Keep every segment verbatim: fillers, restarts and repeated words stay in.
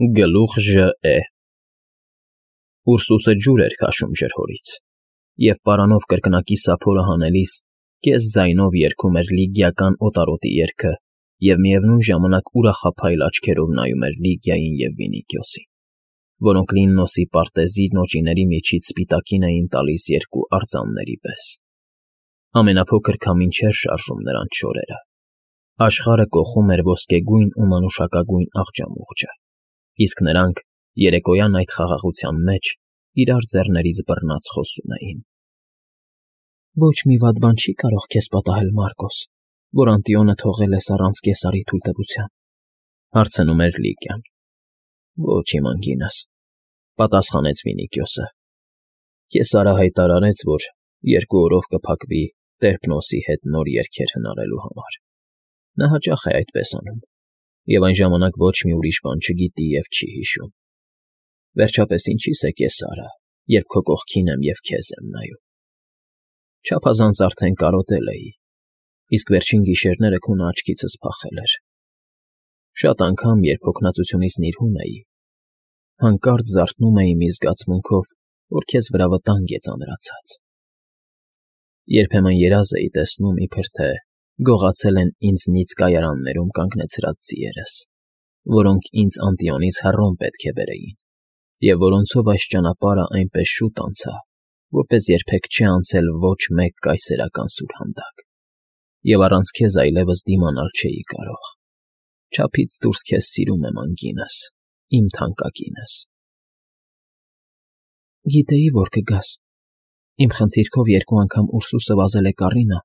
Գլուխ Ժ.Է. Ուրսուսը ջուր էր քաշում ջրհորից, և պարանով կրկնակի սափորը հանելիս կես֊ձայնով երգում էր լիգիական օտարոտի երգը և միևնույն ժամանակ ուրախափայլ աչքերով նայում էր Լիգիային և Վինիքիոսին, որոնք Լիննոսի պարտեզի նոճիների միջից սպիտակին էին տալիս երկու արձանների պես. ամենափոքր քամին չէր շարժում նրանց շորերը, աշխարհը կոխում էր ոսկեգույն ու մանուշակագույն աղջամուղջը, իսկ նրանք երեկոյան այդ խաղաղության մեջ իրար ձեռներից բռնած խոսում էին. «Ոչ մի վատ բան չի՞ կարող քեզ պատահել, Մարկոս, որ Անտիոնը թողել ես առանց Կեսարի թույլտվության,֊ հարցնում էր Լիգիան։ ֊ Ոչ, իմ անգինս,֊ պատասխանեց Վինիքիոսը։ Կեսարը հայտարարեց, որ երկու օրով կփակվի Տերպնոսի հետ նոր երգեր հնարելու համար. նա հաճախ է այդպես անում, և այն ժամանակ ոչ մի ուրիշ բան չգիտի և չի հիշում։ Վերջապես ինչի՞ս է Կեսարը, երբ քո կողքին եմ և քեզ եմ նայում։ Չափազանց արդեն կարոտել էի, իսկ վերջին գիշերները քունը աչքիցս փախել էր։ Շատ անգամ, երբ հոգնածությունից նիրհում էի, հանկարծ զարթնում էի մի զգացմունքով, որ քեզ վրա վտանգ է ծանրացած։ Երբեմն երազ էի տեսնում, իբր թե գողացել են ինձնից կայարաններում կանգնեցրած ձիերս, որոնք ինձ Անտիոնից հեռուն պետք է բերեին, և որոնցով այս ճանապարհը այնպես շուտ անցա, որպես երբեք չէ անցել ոչ մեկ կայսերական սուրհանդակ, և առանց քեզ այլևս դիմանալ չէի կարող։ Չափից դուրս քեզ սիրում եմ, անգինս, իմ թանկագինս։ Գիտեի, որ կգաս, իմ խնդիրքով երկու անգամ Ուրսուսը վազել է կառինը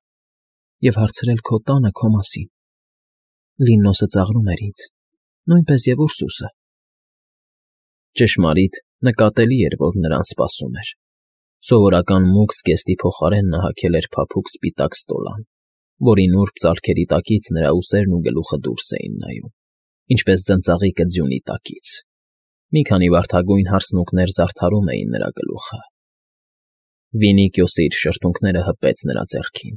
և հարցրել քո տանը քո մասին։ Լիննոսը ծաղրում էր ինձ, նույնպես և Ուրսուսը։ Ճշմարիտ, նկատելի էր, որ նրան սպասում էր. սովորական մուգ զգեստի փոխարեն նա հագել էր փափուկ սպիտակ ստոլան, որի նուրբ ծալքերի տակից նրա ուսերն ու գլուխը դուրս էին նայում, ինչպես ձնծաղիկը ձյունի տակից։ Մի քանի վարդագույն հարսնուկներ զարդարում էին նրա գլուխը։ Վինիքիոսը իր շրթունքները հպեց նրա ձեռքին,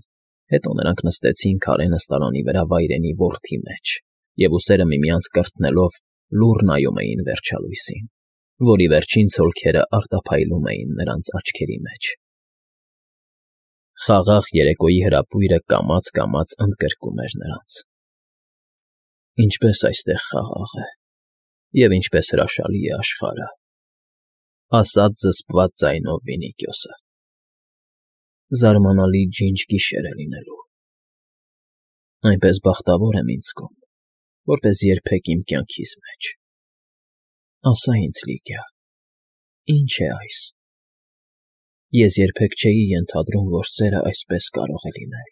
հետո նրանք նստեցին քարե նստարանի վրա վայրենի որթի մեջ և ուսերը միմյանց կրտնելով լուռ նայում էին վերջալույսին, որի վերջին ցոլքերը արտափայլում էին նրանց աչքերի մեջ։ Խաղաղ երեկոյի հրապույրը կամաց֊կամաց ընդգրկում էր նրանց։ Ինչպես այստեղ խաղաղ է, և ինչպես հրաշալի է աշխարհը,֊ ասաց զսպված ձայնով Վինիքիոսը։ Զարմանալի ջինջ գիշեր է լինելու։ Այնպես բախտավոր եմ ինձ զգում, որպես երբեք իմ կյանքիս մեջ։ Ասա ինձ, Լիգիա, ի՞նչ է այս։ Ես երբեք չէի ենթադրում, որ սերը այսպես կարող է լինել։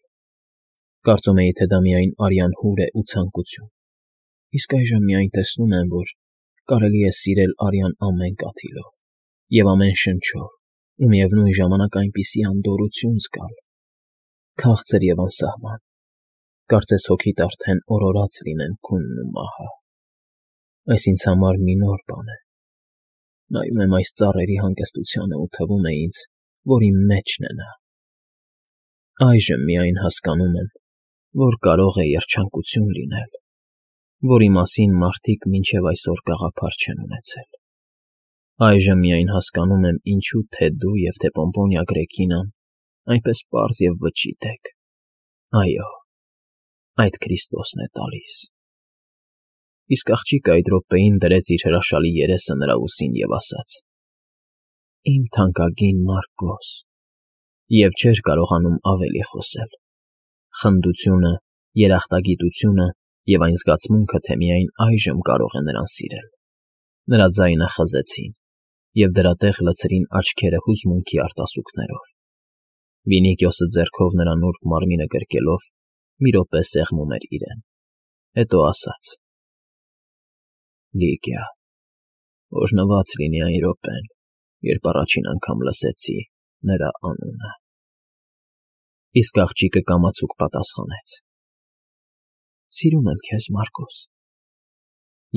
Կարծում էի, թե դա միայն արյան հուր է ու ցանկություն, իսկ այժմ միայն տեսնում եմ, որ կարելի է սիրել արյան ամեն կաթիլով և ամեն շնչով ու միևնույն ժամանակ այնպիսի անդորրություն զգալ, քաղցր և անսահման, կարծես հոգիդ արդեն օրորած լինեն քունն ու մահը։ Այս ինձ համար մի նոր բան է։ Նայում եմ այս ծառերի հանգստությանը ու թվում է ինձ, որ իմ մեջն է նա։ Այժմ միայն հասկանում եմ, որ կարող է երջանկություն լինել, որի մասին մարդիկ մինչև այսօր գաղափար չեն ունեցել։ Այժմ միայն հասկանում եմ, ինչու թե դու և թե Պոմպոնիա Գրեքինան այնպես պարզ և վճիտ եք։ Այո, այդ Քրիստոսն է տալիս։ Իսկ աղջիկը այդ րոպեին դրեց իր հրաշալի երեսը նրա ուսին և ասաց. «Իմ թանկագին Մարկոս», և չէր կարողանում ավելի խոսել։ Խնդությունը, երախտագիտությունը և այն զգացմունքը, թե միայն այժմ կարող է նրան սիրել, նրա ձայնը խզեցին, և դրա տեղ լցրին աչքերը հուզմունքի արտասուքներով։ Վինիքիոսը ձեռքով նրա նուրբ մարմինը գրկելով մի րոպե սեղմում էր իրեն, հետո ասաց. «Լիգիա, օրհնված լինի այն րոպեն, երբ առաջին անգամ լսեցի նրա անունը»։ Իսկ աղջիկը կամացուկ պատասխանեց. «Սիրում եմ քեզ, Մարկոս»։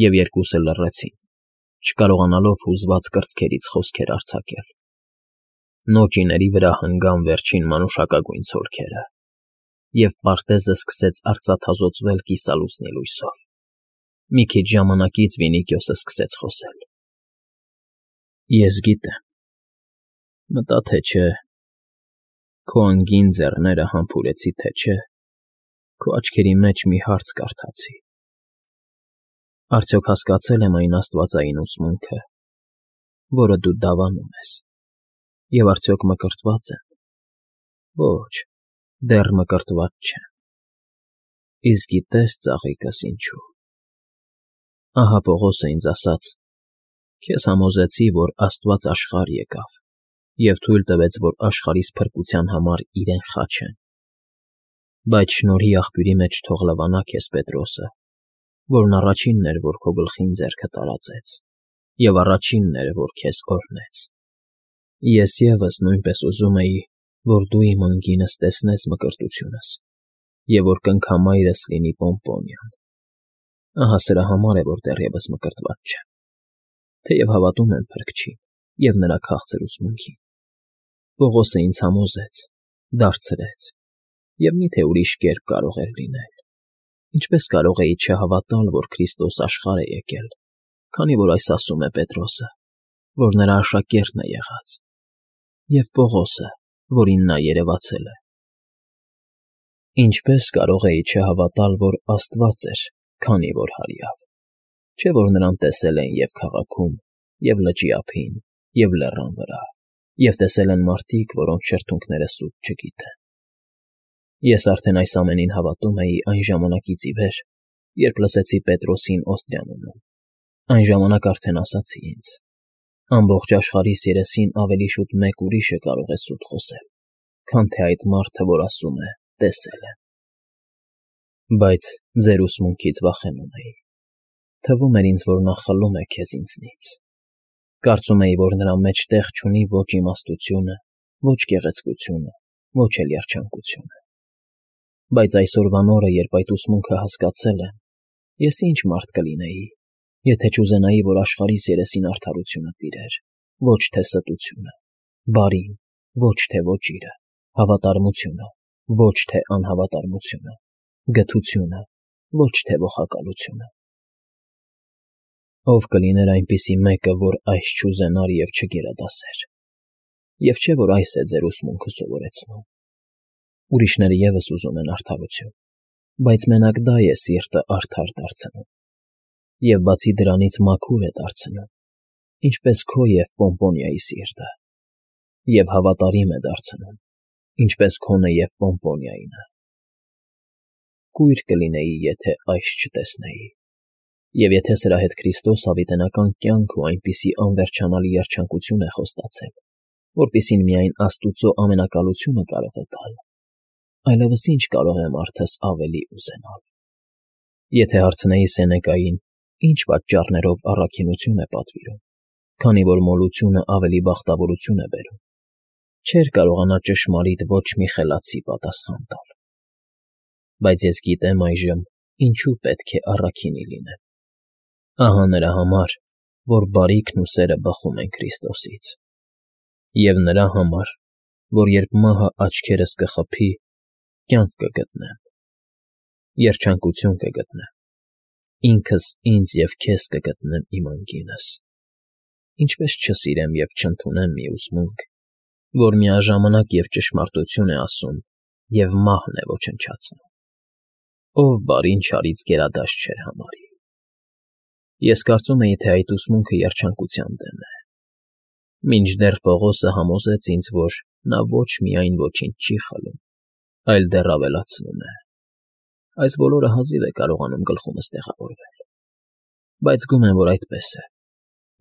Եվ երկուսը լռեցին, չկարողանալով հուզված կրծքերից խոսքեր արձակել։ Նոճիների վրա հնգան վերջին մանուշակագույն ցոլքերը, և պարտեզը սկսեց արծաթազօծվել կիսալուսնի լույսով։ Մի քիչ ժամանակից Վինիքիոսը սկսեց խոսել. Ես գիտեմ, մտա թե չէ, քո անգին ձեռները համբուրեցի թե չէ, քո աչքերի մեջ մի հարց կարդացի. արդյոք հասկացել եմ այն աստվածային ուսմունքը, որը դու դավանում ես, և արդյոք մկրտված եմ. ոչ, դեռ մկրտված չեմ, իսկ գիտես ծաղիկս ինչու… Ահա Պողոսը ինձ ասաց. քեզ համոզեցի, որ Աստված աշխարհ եկավ և թույլ տվեց, որ աշխարհիս փրկության համար իրեն խաչեն, բայց շնորհի աղբյուրի մեջ թող լվանա քեզ Պետրոսը, որն առաջինն էր, որ քո գլխին ձեռքը տարածեց, և առաջինն էր, որ քեզ օրհնեց… Ես ևս նույնպես ուզում էի, որ դու իմ անգինս տեսնես մկրտությունս և որ կնքամայրս լինի Պոմպոնիան… Ահա սրա համար է, որ դեռևս մկրտված չեմ, թեև հավատում եմ Փրկչին և նրա քաղցր ուսմունքին… Պողոսը ինձ համոզեց, դարձրեց, և մի՞թե ուրիշ կերպ կարող էր լինել… Ինչպե՞ս կարող էի չհավատալ, որ Քրիստոս աշխարհ է եկել, քանի որ այս ասում է Պետրոսը, որ նրա աշակերտն է եղած, և Պողոսը, որին նա երևացել է… Ինչպե՞ս կարող էի չհավատալ, որ Աստված էր, քանի որ հարյավ… Չէ՞ որ նրան տեսել են և՛ քաղաքում, և լճի ափին, և լեռան վրա, և տեսել են մարդիկ, որոնց շրթունքները սուտ չգիտեն… Ես արդեն այս ամենին հավատում էի այն ժամանակից ի վեր, երբ լսեցի Պետրոսին Օստրիանում. այն ժամանակ արդեն ասացի ինձ. ամբողջ աշխարհիս երեսին ավելի շուտ մեկ ուրիշը կարող է սուտ խոսել, քան թե այդ մարդը, որ ասում է. տեսել եմ… Բայց ձեր ուսմունքից վախենում էի… Թվում էր ինձ, որ նա խլում է քեզ ինձնից… Կարծում էի, որ նրա մեջ տեղ չունի ոչ իմաստությունը, ոչ գեղեցկությունը, ոչ էլ երջանկությունը… Բայց այսօրվան օրը, երբ այդ ուսմունքը հասկացել եմ, ես ի՞նչ մարդ կլինեի, եթե չուզենայի, որ աշխարհիս երեսին արդարությունը տիրեր, ոչ թե ստությունը, բարին, ոչ թե ոճիրը, հավատարմությունը, ոչ թե անհավատարմությունը, գթությունը, ոչ թե ոխակալությունը… Ո՞վ կլիներ այնպիսի մեկը, որ այս չուզենար և չգերադասեր… Եվ չէ՞ որ այս է ձեր ուսմունքը սովորեցնում… Ուրիշները ևս ուզում են արդարություն, բայց մենակ դա է սիրտը արդար դարձնում, և բացի դրանից մաքուր է դարձնում, ինչպես քո և Պոմպոնիայի սիրտը, և հավատարիմ է դարձնում, ինչպես քոնը և Պոմպոնիայինը… Կույր կլինեի, եթե այս չտեսնեի… Եվ եթե սրա հետ Քրիստոս հավիտենական կյանք ու այնպիսի անվերջանալի երջանկություն է խոստացել, որպիսին միայն Աստուծո ամենակալությունը կարող է տալ, այլևս ի՞նչ կարող է մարդս ավելի ուզենալ… Եթե հարցնեի Սենեկային. ինչ պատճառներով առաքինություն է պատվիրում, քանի որ մոլությունը ավելի բախտավորություն է բերում, չէր կարողանա ճշմարիտ ոչ մի խելացի պատասխան տալ… Բայց ես գիտեմ այժմ ինչու պետք է առաքինի լինեմ… Ահա նրա համար, որ բարիքն ու սերը բխում են Քրիստոսից… Եվ նրա համար, որ երբ մահը աչքերս կխփի, կյանք կգտնեմ, երջանկություն կգտնեմ, ինքս ինձ և քեզ կգտնեմ իմ անգինս… Ինչպե՞ս չսիրեմ և չընդունեմ մի ուսմունք, որ միաժամանակ և ճշմարտություն է ասում և մահն է ոչնչացնում… Ով բարին չարից գերադաստ չէր համարի… Ես կարծում էի, թե այդ ուսմունքը երջանկության դեմ է… Մինչդեռ Պողոսը համոզեց ինձ, որ նա ոչ միայն ոչինչ չի խլում, այլ դեռ ավելացնում է… Այս բոլորը հազիվ է կարողանում գլխումս տեղավորվել… Բայց գումեն, որ այդպես է,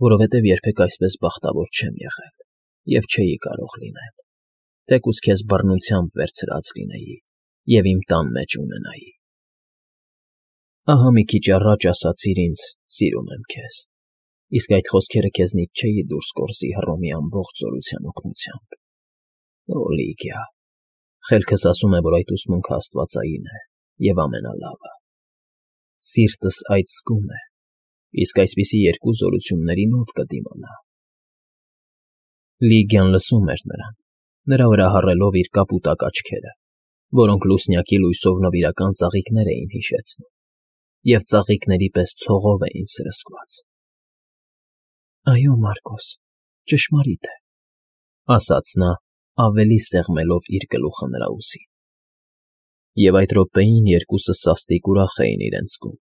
որովհետև երբեք այսպես բախտավոր չեմ եղել և չէի կարող լինել, թեկուզ քեզ բռնությամբ վերցրած լինեի և իմ տան մեջ ունենայի… Ահա մի քիչ առաջ ասացիր ինձ. «Սիրում եմ քեզ», իսկ այդ խոսքերը քեզնից չէի դուրս կորզի Հռոմի ամբողջ զորության օգնությամբ… Օ՜, Լիգիա, խելքս ասում է, որ այդ ուսմունքը աստվածային է և ամենալավը… Սիրտս այդ զգում է, իսկ այսպիսի երկու զորություններին ո՞վ կդիմանա… Լիգիան լսում էր նրան, նրա վրա հառելով իր կապուտակ աչքերը, որոնք լուսնյակի լույսով նվիրական ծաղիկներ էին հիշեցնում, և ծաղիկների պես ցողով էին սրսկված։ ֊ Այո, Մարկոս, ճշմարիտ է,֊ ասաց նա, ավելի սեղմելով իր գլուխը նրա ուսին։ Եվ այդ րոպեին երկուսը սաստիկ ուրախ էին իրենց կում,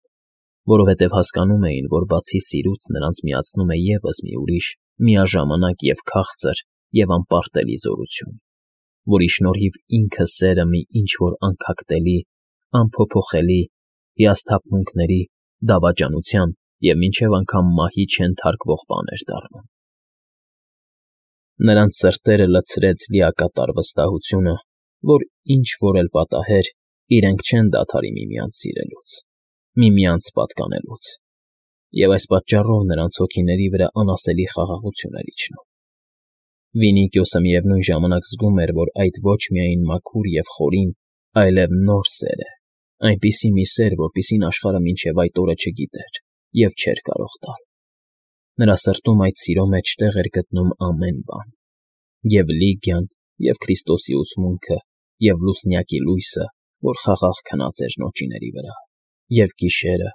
որովհետև հասկանում էին, որ բացի սիրուց նրանց միացնում է ևս մի ուրիշ, միաժամանակ և քաղցր և անպարտելի զորություն, որի շնորհիվ ինքը սերը մի ինչ֊որ անքակտելի, անփոփոխելի, հիասթափմունքների, դավաճանության և մինչև անգամ մահի չենթարկվող բան էր դառնում։ Նրանց սրտերը լցրեց լիակատար վստահությունը, որ ինչ֊որ էլ պատահեր, իրենք չեն դադարի միմյանց սիրելուց, միմյանց պատկանելուց, և այս պատճառով նրանց հոգիների վրա անասելի խաղաղություն էր իջնում։ Վինիկիոսը միևնույն ժամանակ զգում էր, որ այդ ոչ միայն մաքուր և խորին, այլև նոր սեր է, այնպիսի մի սեր, որպիսին աշխարհը մինչև այդ օրը չգիտեր և չէր կարող տալ։ Նրա սրտում այդ սիրո մեջ տեղ էր գտնում ամեն բան՝ և Լիգիան, և Քրիստոսի ուսմունքը, և լուսնյակի լույսը, որ խաղաղ քնած էր նոճիների վրա, և գիշերը,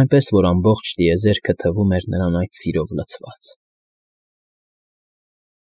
այնպես որ ամբողջ տիեզերքը թվում էր նրան այդ սիրով լցված։